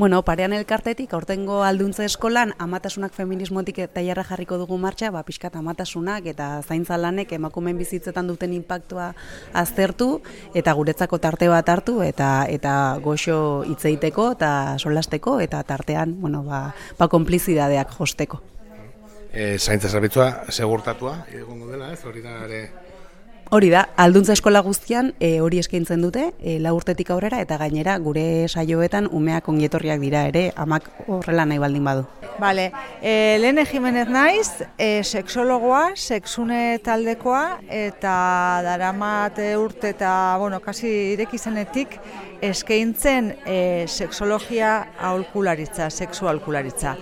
Bueno, parean elkartetik, aurtengo Alduntze Eskolan, amatasunak feminismotik tailerra jarriko dugu martxa, pixkat amatasunak eta zaintza lanek emakumeen bizitzetan duten inpaktua aztertu, eta guretzako tarte bat hartu, eta goxo hitz egiteko, eta solasteko, eta tartean, konplizidadeak josteko. Zaintza zerbitzua segurtatua, egongo dela, ez hori da ere... Hori da, Alduntza Eskola guztian hori eskaintzen dute, 4 urtetik aurrera, eta gainera gure saioetan umeak ongietorriak dira ere, amak horrela nahi baldin badu. Bale, Lene Jimenez naiz, sexologoa, sexune taldekoa, eta daramat urte eta, kasi ireki zenetik eskaintzen sexologia aholkularitza, sexu aholkularitza.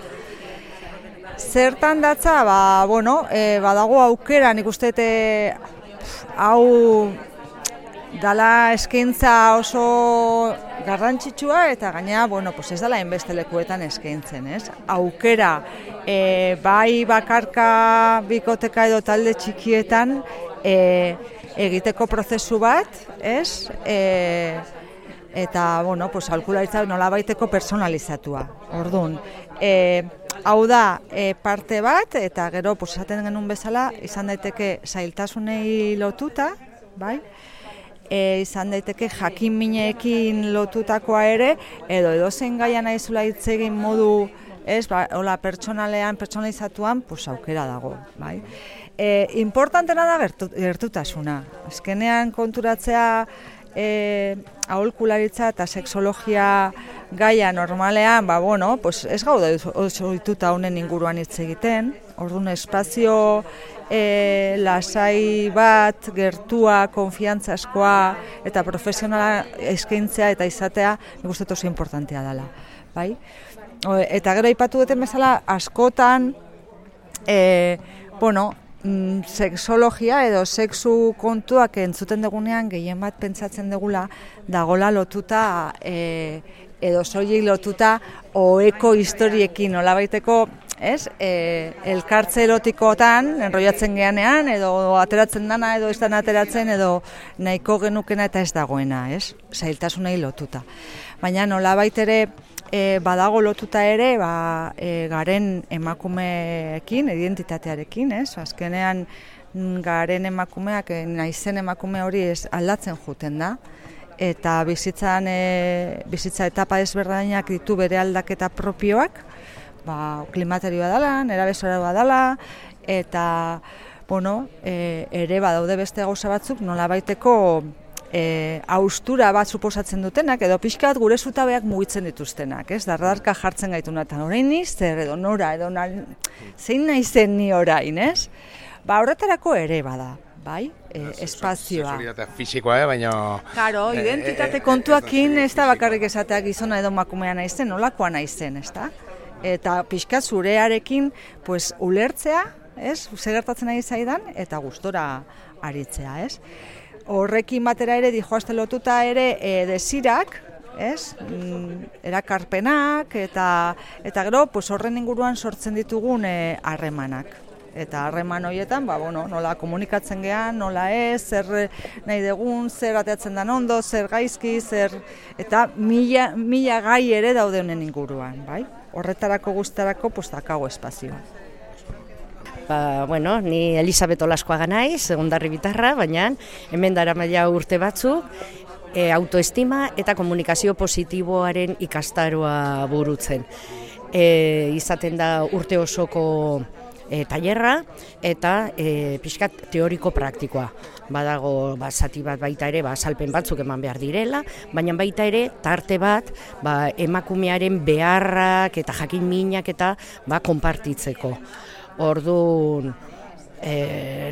Zertan datza, badago aukera, nik uste hau dala eskaintza oso garrantzitsua eta gainera, ez dala hainbeste lekuetan eskaintzen, ez? Aukera, bai bakarka, bikoteka edo talde txikietan egiteko prozesu bat, ez? Eta, aholkularitza nolabaiteko personalizatua. Orduan, hau da parte bat, eta gero esaten genuen bezala, izan daiteke zailtasunei lotuta, bai? Izan daiteke jakin-mineekin lotutakoa ere, edo edozein gaia nahizula hitz egin modu, hola pertsonalean, pertsonalizatuan, aukera dago, bai? Importantena da gertutasuna. Azkenean konturatzea aholkularitza eta sexologia gaia normalean, ez gaude oso ohituta honen inguruan hitz egiten. Orduan espazio lasai bat, gertua, konfiantzazkoa eta profesionala eskaintzea eta izatea, nik uste oso importantea dela, bai? Eta gero aipatu duten bezala askotan, sexologia edo sexu kontuak entzuten dugunean gehien bat pentsatzen dugula dagola lotuta edo soilik lotuta oheko historiekin nolabaiteko, elkartze erotikotan enrollatzen geanean edo ateratzen dana edo ez dana ateratzen edo nahiko genukena eta ez dagoena, zailtasunei lotuta. Baina nolabait ere badago lotuta ere garen emakumeekin, identitatearekin, azkenean garen emakumeak, naizen emakume hori aldatzen juten da, eta bizitza etapa ezberdinak ditu bere aldaketa propioak, klimaterioa dela, nerabezaroa dela, eta ere badaude beste gauza batzuk nolabaiteko haustura bat suposatzen dutenak, edo pixkat gure zutabeak mugitzen dituztenak, dardarka jartzen gaituna, eta orain niz, edo nora, edo zein naizen ni orain, horretarako ere bada, bai, espazioa. Sexualitatea fisikoa, baina... Karo, identitate kontuakin ez da bakarrik esateak gizona edo emakumea naizen, nolakoa naizen, ez da? Eta pixkat zurearekin, ulertzea, zer gertatzen ari zaidan, eta gustora aritzea, Horrekin batera ere, dijoazte lotuta ere, desirak, erakarpenak, eta gero, horren inguruan sortzen ditugun harremanak. Eta harreman horietan, nola komunikatzen gean, nola ez, zer nahi dugun, zer ateatzen den ondo, zer gaizki, eta mila gai ere daude honen inguruan, bai? Horretarako guztarako, dakago espazioa. Ni Elisabet Olaskoaga naiz, Ondarri bitarra, baina hemen daramaila urte batzuk autoestima eta komunikazio positiboaren ikastaroa burutzen. Izaten da urte osoko tailerra eta pixkat teoriko praktikoa. Badago zati bat baita ere azalpen batzuk eman behar direla, baina baita ere tarte bat emakumearen beharrak eta jakin minak eta konpartitzeko. Orduan,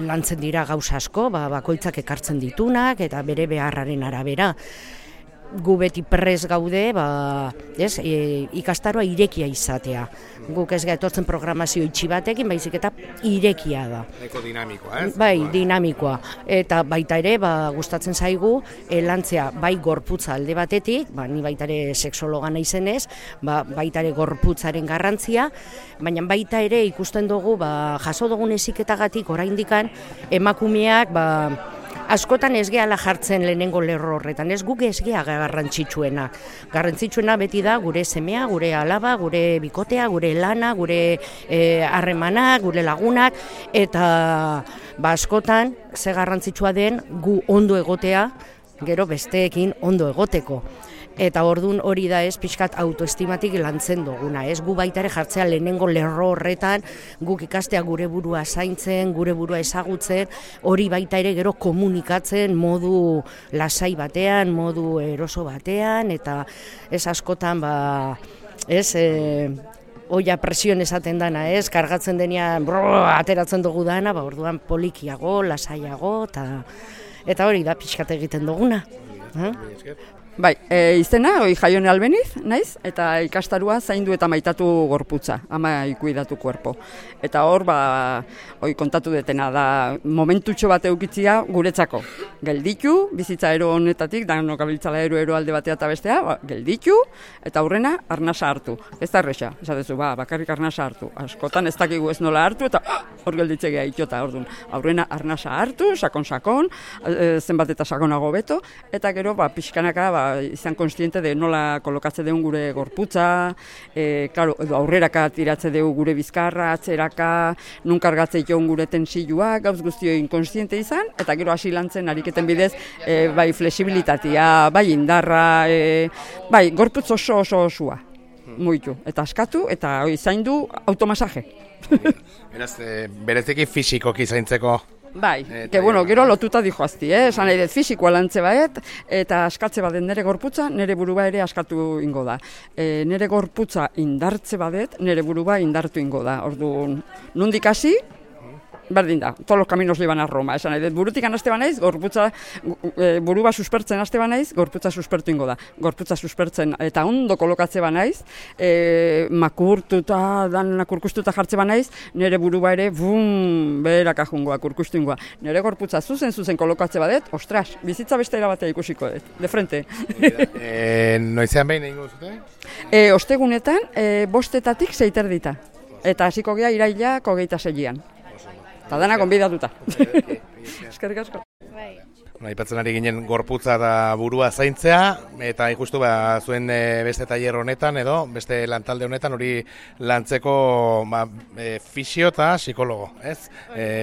lantzen dira gauza asko, bakoitzak ekartzen ditunak eta bere beharraren arabera. Gu beti prez gaude, ikastaroa irekia izatea. Guk ez etortzen programazio itxi batekin, baizik eta irekia da. Eko dinamikoa, Bai, dinamikoa. Eta baita ere, gustatzen zaigu, lantzea bai gorputza alde batetik, ni baita ere sexologa naizenez, baita ere gorputzaren garrantzia, baina baita ere ikusten dugu, jaso dugun heziketagatik oraindikan emakumeak, askotan ez gehala jartzen lehenengo lerro horretan, ez guk ez gea garrantzitsuena. Garrantzitsuena beti da gure semea, gure alaba, gure bikotea, gure lana, gure harremanak, gure lagunak, eta askotan ze garrantzitsua den gu ondo egotea, gero besteekin ondo egoteko. Eta ordun hori da ez pixkat autoestimatik lantzen duguna, ez gu baita ere jartzea lehenengo lerro horretan, guk ikastea gure burua zaintzen, gure burua ezagutzen, hori baita ere gero komunikatzen modu lasai batean, modu eroso batean, eta ez askotan oia presion esaten dana, ez, kargatzen denean ateratzen dugu dana, orduan polikiago, lasaiago, eta hori da pixkat egiten duguna. Bai, izena, Jaione Albeniz, naiz, eta ikastarua zaindu eta maitatu gorputza, ama ikuidatu kuerpo. Eta hor, kontatu detena da, momentutxo bat eukitzia guretzako. Gelditu, bizitza ero honetatik, danok abiltzala ero alde batea eta bestea, gelditu, eta aurrena arnasa hartu. Ez da erresa, esatezu, bakarrik arnasa hartu. Askotan ez dakigu ez nola hartu, eta hor gelditzegea itxota, orduan. Aurrena arnasa hartu, sakon, zenbat eta sakonago beto, eta gero, pixkanaka, izan konstiente de nola kolokatze deun gure gorputza, aurreraka tiratze deu gure bizkarra, atzeraka, nun kargatze joan gure tensioak, gauz guztio inkonstiente izan, eta gero hasi lantzen ariketen bidez, bai flexibilitatea, bai indarra, bai gorputz oso osua, muitu, eta askatu, eta zaindu automasaje. Beraz, bereziki fisikoki zaintzeko. Bai, gero lotuta dijoazti, esan nahi dut fisikoa lantze baet, eta askatze badet nire gorputza, nire burua ere askatu ingo da. Nire gorputza indartze badet, nire burua indartu ingo da. Orduan, nondik hasi, berdin da, todos los caminos llevan a Roma, esan nahi dut, burutik anaste banaiz, burua suspertzen aste banaiz, gorputza suspertu ingo da. Gorputza suspertzen eta ondo kolokatze banaiz, makurtuta, danak urkustuta jartze banaiz, nire burua ere, beheraka jungoa, urkustu ingoa. Nire gorputza zuzen kolokatze badet, ostras, bizitza beste erabatea ikusiko dut, de frente. Noizean behin egingo zute? Ostegunetan, 5:00 6:30, eta hasiko gea irailak 26an. Eta dana konbidatuta. Eskerrik asko. Aipatzen ari ginen gorputza da burua zaintzea, eta ikustu zuen beste tailer honetan edo beste lantalde honetan hori lantzeko fisio eta psikologo, ez?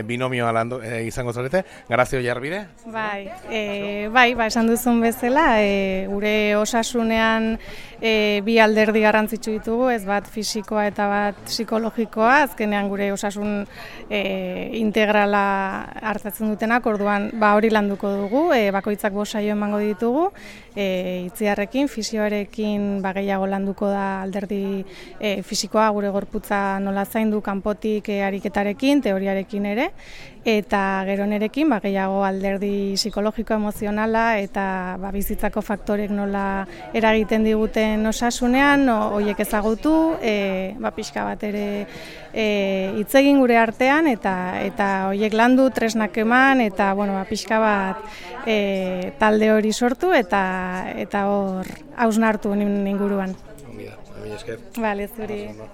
Binomioa izango zarete, Garazio Jarbide? Bai, esan duzun bezala, gure osasunean bi alderdi garrantzitsu ditugu, ez bat fisikoa eta bat psikologikoa, azkenean gure osasun integrala hartatzen dutenak, orduan hori landuko dugu, bakoitzak 5 saio emango ditugu, itziarrekin, fisioarekin gehiago landuko da alderdi fisikoa, gure gorputza nola zaindu kanpotik ariketarekin, teoriarekin ere, eta gero nerekin gehiago alderdi psikologiko emozionala eta bizitzako faktorek nola eragiten diguten osasunean, horiek ezagutu, pixka bat ere hitz egin gure artean eta horiek landu, tresnak eman eta pixka bat talde hori sortu eta hor hausnartu inguruan. Ongi da, esker. Bale, zuri.